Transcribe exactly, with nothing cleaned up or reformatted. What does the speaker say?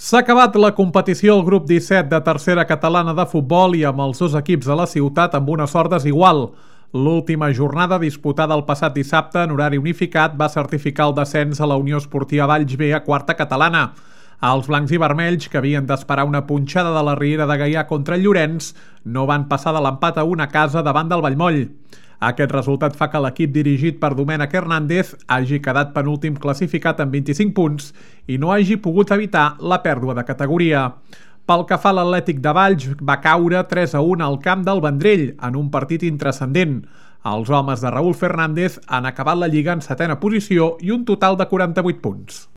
S'ha acabat la competició al grup disset de tercera catalana de futbol i amb els dos equips de la ciutat amb una sort desigual. L'última jornada, disputada el passat dissabte en horari unificat, va certificar el descens a la Unió Esportiva Valls B a quarta catalana. Els blancs i vermells, que havien d'esperar una punxada de la Riera de Gaià contra el Llorenç, no van passar de l'empat a una casa davant del Vallmoll. Aquest resultat fa que l'equip dirigit per Domènec Hernández hagi quedat penúltim classificat amb vint-i-cinc punts i no hagi pogut evitar la pèrdua de categoria. Pel que fa a l'Atlètic de Valls, va caure tres a un al camp del Vendrell en un partit intranscendent. Els homes de Raúl Fernández han acabat la Lliga en setena posició i un total de quaranta-vuit punts.